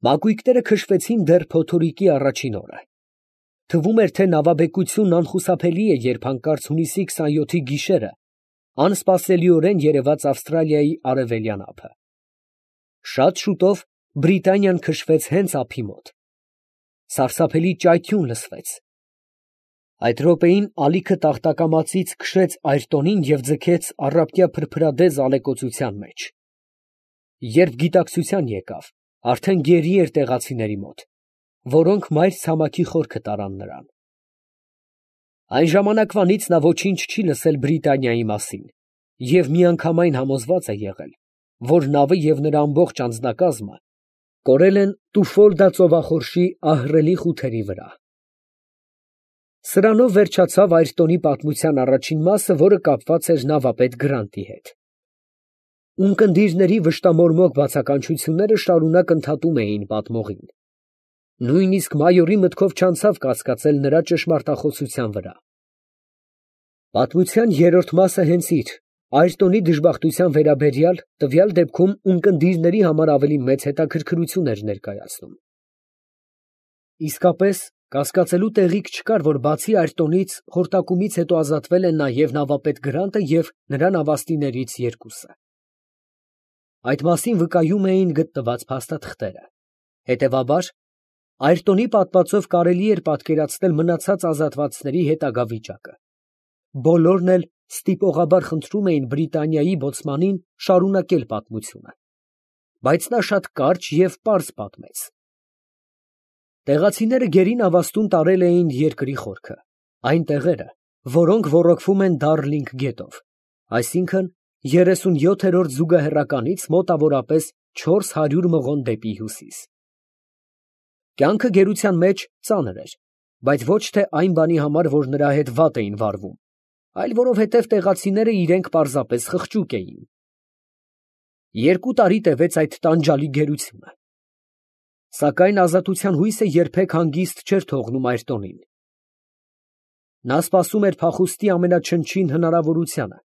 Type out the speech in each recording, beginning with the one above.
Մակույկները քշվեցին դեռ փոթորիկի առաջին օրը. թվում էր, թե նավաբեկությունն անխուսափելի է, երբ հանկարծ հունիսի 27-ի գիշերը անսպասելիորեն երևաց Ավստրալիայի արևելյան ափը։ Շատ շուտով Բրիտանիան քշվեց հենց ափի մոտ։ Սարսափելի ճայթյուն լսվեց։ Այդ րոպեին ալիքը տախտակամածից քշեց Այրտոնին և ձգեց առափկյա փրփրադեզ ալեկոծության մեջ։ Երբ գիտակցության եկավ, արդեն գերի էր տեղացիների մոտ, որոնք մայր ցամաքի խորքը տարան նրան։ Այն ժամանակվանից նա ոչինչ չի լսել Բրիտանիայի մասին և միանգամայն համոզված է եղել, որ նավը և նրա ամբողջ անձնակազմը կորել են Տուֆոլդա ծովախորշի ահռելի խութերի վրա։ Սրանով վերջացավ Այրտոնի պատմության առաջին մասը, որը կապված էր նավապետ Գրանտի հետ։ Ունկնդիրների վշտամորմոք բացականչությունները շարունակ ընդհատում էին պատմողին։ Նույնիսկ մայորի մտքով չանցավ կասկածել նրա ճշմարտախոսության վրա։ Պատմության երրորդ մասը հենց իր, Այրտոնի դժբախտության վերաբերյալ, տվյալ դեպքում ունկնդիրների համար ավելի մեծ հետաքրքրություն էր ներկայացնում։ Իսկապես, կասկածելու տեղիք չկար, որ բացի Այրտոնից, խորտակումից հետո ազատվել են նաև նավապետ Գրանտը և նրա նավաստիներից երկուսը։ Այդ մասին վկայում էին գտնված փաստաթղթերը։ Հետևաբար, Այրտոնի պատմածով կարելի էր պատկերացնել մնացած ազատվածների հետագա վիճակը։ Բոլորն էլ ստիպողաբար խնդրում էին Բրիտանիայի բոցմանին շարունակել պատմությունը։ Բայց նա շատ կարճ և պարզ պատմեց։ Տեղացիները գերի նավաստուն տարել էին երկրի խորքը, այն տեղերը, որոնք ոռոգվում են Դարլինգ գետով, այսինքն 37-րդ զուգահեռականից մոտավորապես 400 մղոն դեպի հյուսիս։ Կյանքը գերության մեջ ծանր էր, բայց ոչ թե այն բանի համար, որ նրա հետ վատ էին վարվում, այլ որովհետև տեղացիները իրենք պարզապես խղճուկ էին։ 2 տարի տևեց այդ տանջալի գերությունը։ Սակայն ազատության հույսը երբեք հանգիստ չէր թողնում Այրտոնին։ Նա սպասում էր փախուստի ամենաչնչին հնարավորությանը,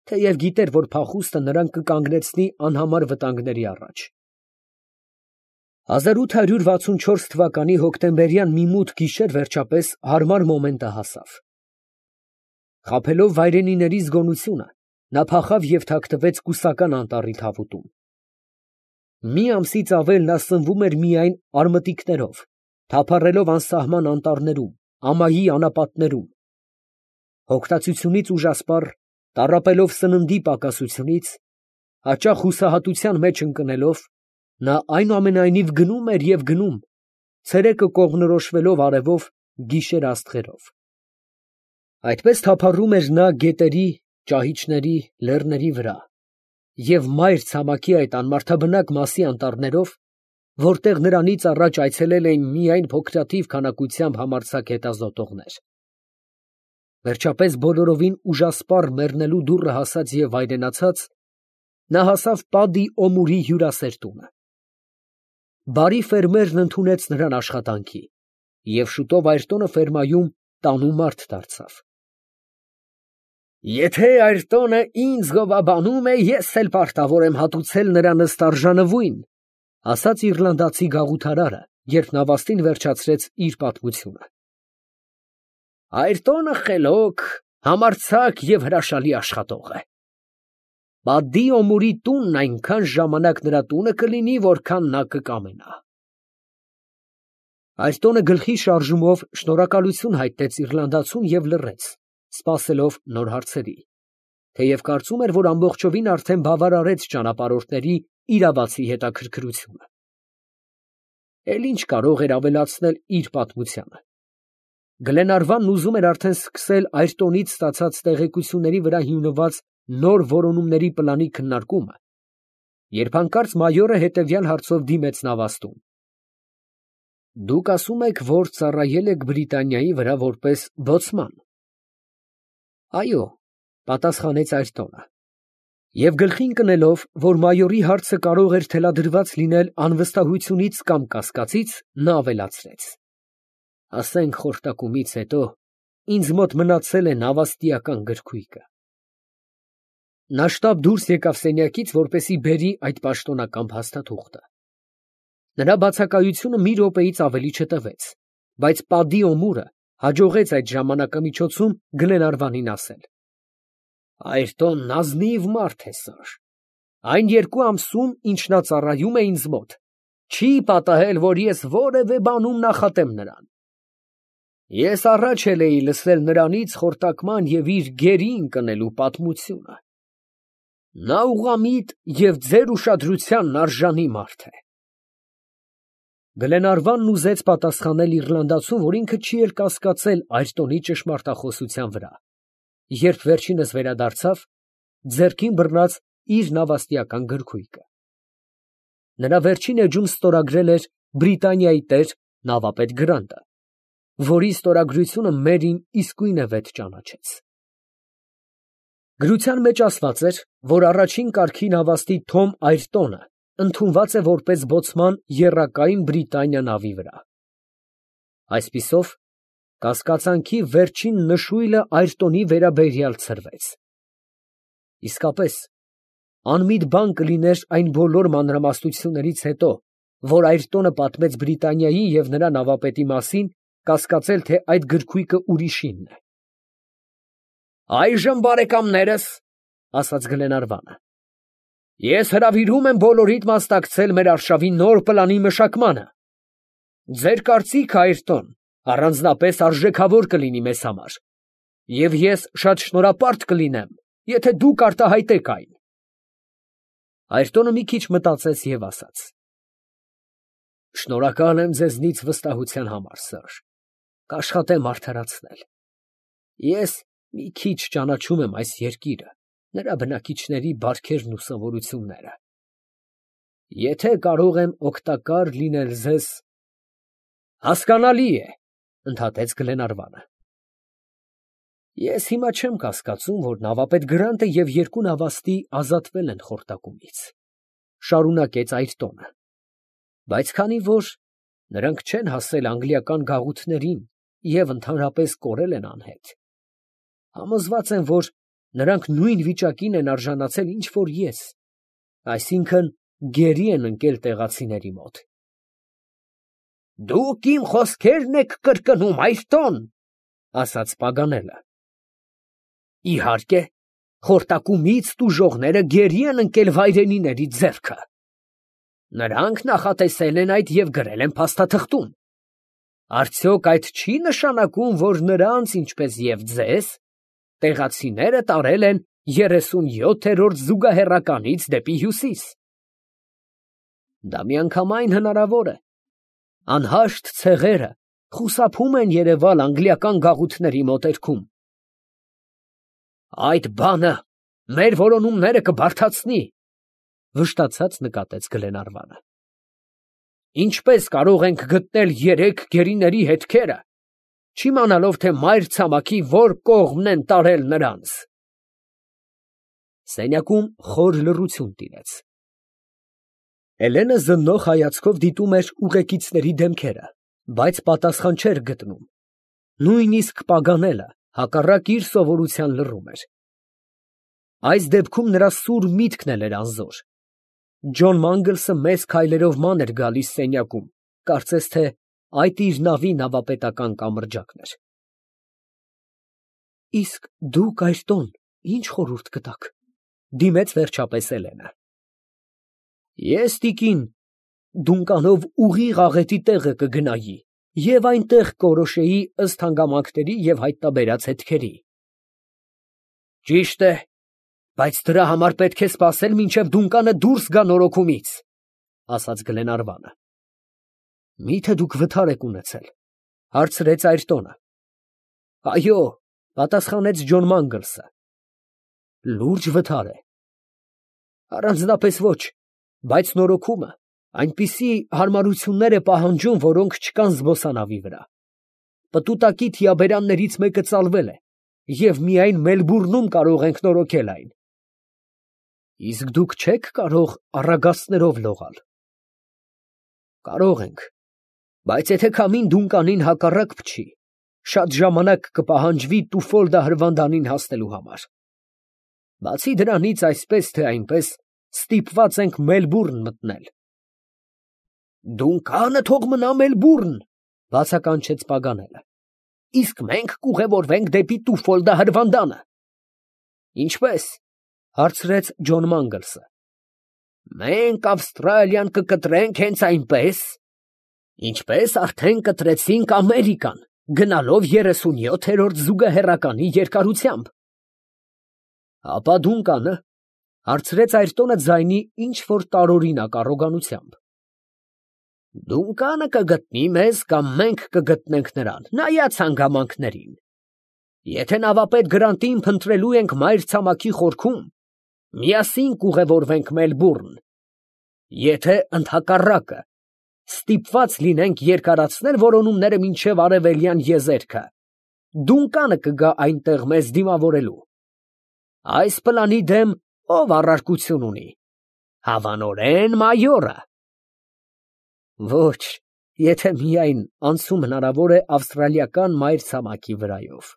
թեև գիտեր, որ փախուստը նրան կկանգնեցնի անհամար վտանգների առաջ։ 1864 թվականի հոկտեմբերյան մի մութ գիշեր վերջապես հարմար մոմենտը հասավ։ Խաբելով վայրենիների զգոնությունը, նա փախավ և թաքնվեց Կուսական անտառի թավուտում։ Մի ամսից ավել նա սնվում էր միայն արմտիկներով, թափառելով անսահման անտառներում, ամայի անապատներում։ Հոգտացությունից ուժասպառ, տառապելով սննդի պակասությունից, հաճախ հուսահատության մեջ ընկնելով, նա այնուամենայնիվ գնում էր և գնում, ցերեկը կողմնորոշվելով արևով, գիշերը աստղերով։ Այդպես թափառում էր նա գետերի, ճահիճների, լեռների վրա և մայր ցամաքի այդ անմարդաբնակ մասի անտառներով, որտեղ նրանից առաջ այցելել էին միայն փոքրաթիվ քանակությամբ համարձակ հետազոտողներ։ Վերջապես բոլորովին ուժասպառ մեռնելու դուռը հասած և վայրենացած, նա հասավ Պադի Օմուրի հյուրասեր տունը։ Բարի ֆերմերն ընդունեց նրան աշխատանքի, և շուտով Այրտոնը ֆերմայում տանու մարդ դարձավ։ «Եթե Այրտոնը ինձ գովաբանում է, ես էլ պարտավոր եմ հատուցել նրա նստարժանվույն», ֊ ասաց իռլանդացի գաղութարարը, երբ նավաստին վերջացրեց իր պատմությունը։ «Այրտոնը խելոք, համարձակ և հրաշալի աշխատող է։ Պադի Օմուրի տունն այնքան ժամանակ նրա տունը կլինի, որքան նա կկամենա»։ Այրտոնը գլխի շարժումով շնորհակալություն հայտնեց իռլանդացուն և լռեց, սպասելով նոր հարցերի, թեև կարծում էր, որ ամբողջովին արդեն բավարարեց ճանապարհորդների իրավացի հետաքրքրությունը։ Էլ ինչ կարող էր ավելացնել իր պատմությանը։ Գլենարվանն ուզում էր արդեն սկսել Այրտոնից ստացած տեղեկությունների վրա հիմնված նոր որոնումների պլանի քննարկումը, երբ հանկարծ մայորը հետևյալ հարցով դիմեց նավաստուն. «Դուք ասում եք, որ ծառայել եք Բրիտանիայի վրա որպես բոցման»։ «Այո», պատասխանեց Այրտոնը, և գլխի ընկնելով, որ մայորի հարցը կարող էր թելադրված լինել անվստահությունից կամ կասկածից, նա ավելացրեց. «Ասենք խորտակումից հետո ինձ մոտ մնացել է նավաստիական գրքույկը»։ Նա շտապ դուրս եկավ սենյակից, որպեսզի բերի այդ պաշտոնական փաստաթուղթը։ Նրա բացակայությունը մի րոպեից ավելի չտևեց, բայց Պատի Օմուրը հաջողեց այդ ժամանակամիջոցում Գլենարվանին ասել. Այրտոնն ազնիվ մարդ է, սար։ Այն 2 ամսում, ինչ նա ծառայում է ինձ մոտ, չի պատահել, որ ես որևէ բանում նախատեմ նրան։ Ես առաջ էլ էի լսել նրանից խորտակման և իր գերի ընկնելու պատմությունը։ Նա ուղղամիտ և ձեր ուշադրությանն արժանի մարդ է։ Գլենարվանն ուզեց պատասխանել իռլանդացուն, որ ինքը չի էլ կասկածել Այրտոնի ճշմարտախոսության վրա, երբ վերջինս վերադարձավ, ձեռքին բռնած իր նավաստիական գրքույկը։ Նրա վերջին էջում ստորագրել էր Բրիտանիայի տեր նավապետ Գրանտը, որի ստորագրությունը Մերին իսկույն է վեթ ճանաչեց։ Գրության մեջ ասված էր, որ առաջին կարգի նավաստի Թոմ Այրտոնը ընդունված է որպես բոցման եռակայն Բրիտանիա նավի վրա։ Այսպիսով, կասկածանքի վերջին նշույլը Այրտոնի վերաբերյալ ցրվեց։ Իսկապես, անմիտ բան կլիներ այն բոլոր մանրամասնություններից հետո, որ Այրտոնը պատմեց Բրիտանիայի և նրա նավապետի մասին, կասկածել, թե այդ գրքույկը ուրիշինն է։ Այժմ, բարեկամներս, ասաց Գլենարվանը, ես հրավիրում եմ բոլորիդ մասնակցել մեր արշավի նոր պլանի մշակմանը։ Ձեր կարծիքը, Այրտոն, առանձնապես արժեքավոր կլինի մեզ համար, և ես շատ շնորհապարտ կլինեմ, եթե դուք արտահայտեք այն։ Այրտոնը մի քիչ մտածեց և ասաց. Շնորհակալ եմ ձեզնից վստահության համար, սըր, կաշխատեմ արդարացնել։ Ես մի քիչ ճանաչում եմ այս երկիրը, նրա բնակիչների բարքերն ու սովորությունները։ Եթե կարող եմ օգտակար լինել ձեզ… Հասկանալի է, ընդհատեց Գլենարվանը։ Ես հիմա չեմ կասկածում, որ նավապետ Գրանտը և 2 նավաստի ազատվել են խորտակումից, շարունակեց Այրտոնը, բայց քանի որ նրանք չեն հասել անգլիական գաղութներին և ընդհանրապես կորել են անհետ, համոզված եմ, որ նրանք նույն վիճակին են արժանացել, ինչ որ ես, այսինքն գերի են ընկել տեղացիների մոտ։ Դուք իմ խոսքերն եք կրկնում, Այրտոն, ասաց Պագանելը։ Իհարկե, խորտակումից տուժողները գերի են ընկել վայրենիների ձեռքը։ Նրանք նախատեսել են այդ և գրել են փաստաթղթում։ Արդյոք այդ չի նշանակում, որ նրանց, ինչպես և ձեզ, տեղացիները տարել են 37-րդ զուգահեռականից դեպի հյուսիս։ Դա միանգամայն հնարավոր է։ Անհաշտ ցեղերը խուսափում են երևալ անգլիական գաղութների մոտերքում։ Այդ բանը մեր որոնումները կբարդացնի, վշտացած նկատեց Գլենարվանը։ Ինչպես կարող ենք գտնել 3 գերիների հետքերը, չիմանալով, թե մայր ցամաքի որ կողմն են տարել նրանց։ Սենյակում խոր լռություն տիրեց։ Էլենը զննող հայացքով դիտում էր ուղեկիցների դեմքերը, բայց պատասխան չէր գտնում։ Նույնիսկ Պագանելը հակառակ իր սովորության լռում էր։ Այս դեպքում նրա սուր միտքն էլ էր անզոր։ Ջոն Մանգլսը մեծ քայլերով ման էր գալիս սենյակում, կարծես թե այդ իր նավի նավապետական կամրջակն էր։ Իսկ դուք, Այրտոն, ինչ խորհուրդ կտաք, դիմեց վերջապես Էլենը։ Ես, տիկին, դունկանով ուղիղ աղետի տեղը կգնայի և այնտեղ կորոշեի ըստ հանգամանքների և հայտնաբերած հետքերի։ Ճիշտ է, բայց դրա համար պետք է սպասել, մինչև դունկանը դուրս գա նորոգումից, ասաց Գլենարվանը։ Մի՞թե դուք վթար եք ունեցել, հարցրեց Այրտոնը։ Այո, պատասխանեց Ջոն Մանգլսը։ Լուրջ վթար է։ Առանձնապես ոչ, բայց նորոգումը այնպիսի հարմարություններ է պահանջում, որոնք չկան զբոսանավի վրա։ Պտուտակի թիաբերաններից մեկը ծալվել է, և միայն Մելբուրնում կարող ենք նորոգել այն։ Իսկ դուք չեք կարող առագաստներով լողալ։ Կարող ենք, բայց եթե քամին դունկանին հակառակ փչի, շատ ժամանակ կպահանջվի Տուֆոլդա հրվանդանին հասնելու համար։ Բացի դրանից, այսպես թե այնպես, ստիպված ենք Մելբուրն մտնել։ Դունկանը թող մնա Մելբուրն, բացականչեց Պագանելը։ Իսկ մենք կուղևորվենք դեպի Տուֆոլդա հրվանդանը։ Ինչպես, հարցրեց Ջոն Մանգլսը։ Մենք Ավստրալիան կկտրենք հենց այնպես, ինչպես արդեն կտրեցինք Ամերիկան, գնալով 37-րդ զուգահեռականի երկարությամբ։ Ապա Դունկանը, հարցրեց Այրտոնը ձայնի ինչ որ տարօրինակ առոգանությամբ։ Դունկանը կգտնի մեզ կամ մենք կգտնենք նրան, նայած հանգամանքներին։ Եթե նավապետ Գրանտին փնտրելու ենք մայրցամաքի խորքում, միասին կուղևորվենք Մելբուրն։ Եթե ընդհակառակը, ստիպված լինենք երկարացնել որոնումները մինչև արևելյան եզերքը, Դունկանը կգա այնտեղ մեզ դիմավորելու։ Այս պլանի դեմ ով առարկություն ունի։ Հավանորեն մայորը։ Ոչ, եթե միայն անցում հնարավոր է ավստրալիական մայրցամաքի վրայով,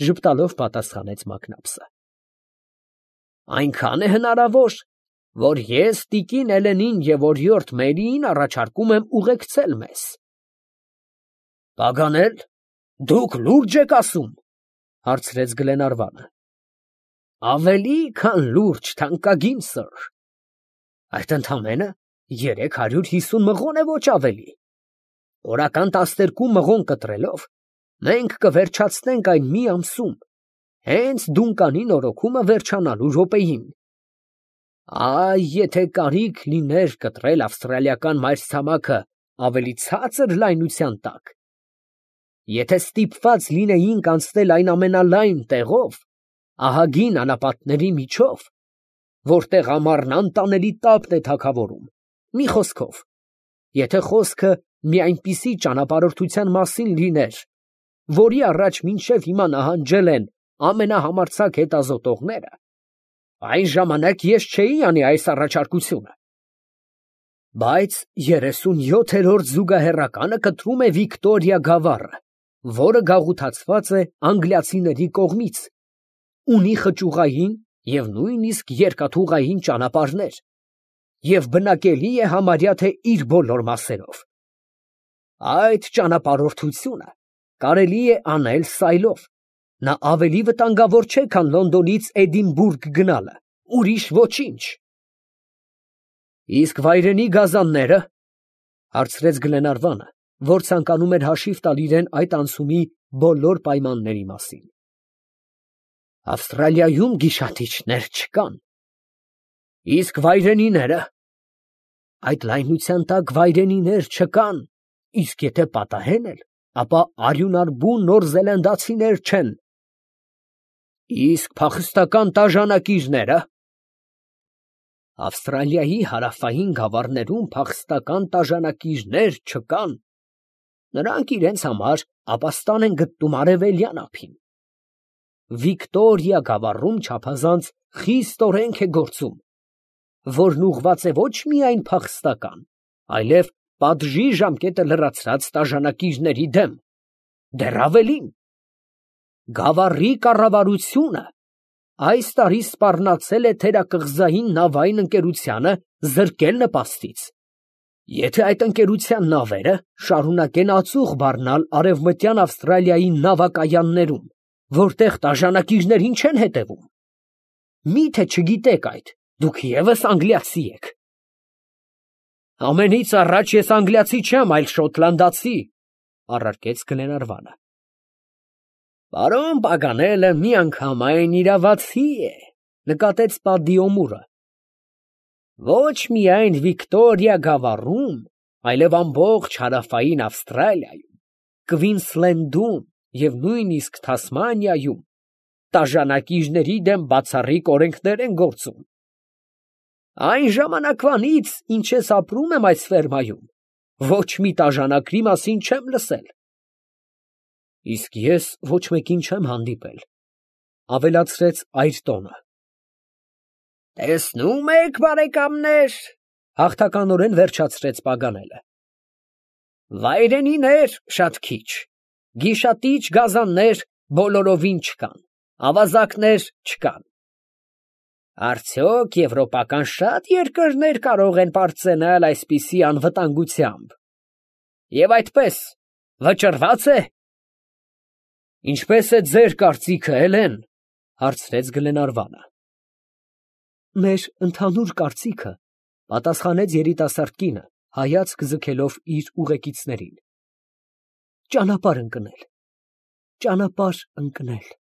ժպտալով պատասխանեց Մակնաբսը։ Այնքան է հնարավոր, որ ես տիկին Էլենին և օրիորդ Մերիին առաջարկում եմ ուղեկցել մեզ։ Պագանել, դուք լուրջ եք ասում, հարցրեց Գլենարվանը։ Ավելի քան լուրջ, թանկագին սըր։ Այդ ընդամենը 350 մղոն է, ոչ ավելի։ Օրական 12 մղոն կտրելով, մենք կվերջացնենք այն մի ամսում, հենց Դունկանի նորոգումը վերջանալու րոպեին։ Այ, եթե կարիք լիներ կտրել ավստրալիական մայրցամաքը ավելի ցածր լայնության տակ, եթե ստիպված լինեինք անցնել այն ամենալայն տեղով, ահագին անապատների միջով, որտեղ ամառն անտանելի տապն է թագավորում, մի խոսքով, եթե խոսքը մի այնպիսի ճանապարհորդության մասին լիներ, որի առաջ մինչև հիմա նահանջել են ամենահամարձակ հետազոտողները, այն ժամանակ ես չէի անի այս առաջարկությունը։ Բայց 37-րդ զուգահեռականը կտրում է Վիկտորիա գավառը, որը գաղութացված է անգլիացիների կողմից, ունի խճուղային և նույնիսկ երկաթուղային ճանապարհներ և բնակելի է համարյա թե իր բոլոր մասերով։ Այդ ճանապարհորդությունը կարելի է անել սայլով, նա ավելի վտանգավոր չէ, քան Լոնդոնից Էդինբուրգ գնալը, ուրիշ ոչինչ։ Իսկ վայրենի գազանները, հարցրեց Գլենարվանը, որ ցանկանում էր հաշիվ տալ իրեն այդ անցումի բոլոր պայմանների մասին։ Ավստրալիայում գիշատիչներ չկան։ Իսկ վայրենիները։ Այդ լայնության տակ վայրենիներ չկան, իսկ եթե պատահեն էլ, ապա արյունարբու նորզելանդացիներ չեն։ Իսկ փախստական տաժանակիչները։ Ավստրալիայի հարավային գավառներում փախստական տաժանակիչներ չկան։ Նրանք իրենց համար ապաստան են գտնում արևելյան ափին։ Վիկտորիա գավառում չափազանց խիստ օրենք է գործում, որն ուղղված է ոչ միայն փախստական, այլև պատժի ժամկետը լրացրած տաժանակիչների դեմ, դեռ ավելին։ Գավառի կառավարությունը այս տարի սպառնացել է թերակղզային նավային ընկերությանը զրկել նպաստից։ Եթե այդ ընկերության նավերը շարունակեն ածուխ բառնալ արևմտյան Ավստրալիայի նավակայաններում, որտեղ տաժանակիչներին չեն հետևում։ Մի՞թե չգիտեք այդ, դուք ևս անգլիացի եք։ Ամենից առաջ ես անգլիացի չեմ, այլ շոտլանդացի, առարկեց Գլենարվանը։ Պարոն Պագանելը միանգամայն իրավացի է, նկատեց Պատդի Օմուրը։ Ոչ միայն Վիկտորիա գավառում, այլև ամբողջ հարավային Ավստրալիայում, Քվինսլենդում և նույնիսկ Թասմանիայում տաժանակիչների դեմ բացառիկ օրենքներ են գործում։ Այն ժամանակվանից, ինչ ես ապրում եմ այս ֆերմայում, ոչ մի տաժանակրի մասին չեմ լսել։ Իսկ ես ոչ մեկին չեմ հանդիպել, ավելացրեց Այրտոնը։ Տեսնում եք, բարեկամներ, հաղթականորեն վերջացրեց Պագանելը։ Վայրենիներ շատ քիչ, գիշատիչ գազաններ բոլորովին չկան, ավազակներ չկան։ Արդյոք եվրոպական շատ երկրներ կարող են պարծենալ այսպիսի անվտանգությամբ։ Եվ այդպես վճռված է։ Ինչպես է ձեր կարծիքը, Էլեն, հարցրեց Գլենարվանը։ Մեր ընդհանուր կարծիքը, պատասխանեց երիտասարդ կինը, հայացք ձգելով իր ուղեկիցներին, ճանապարհ ընկնել։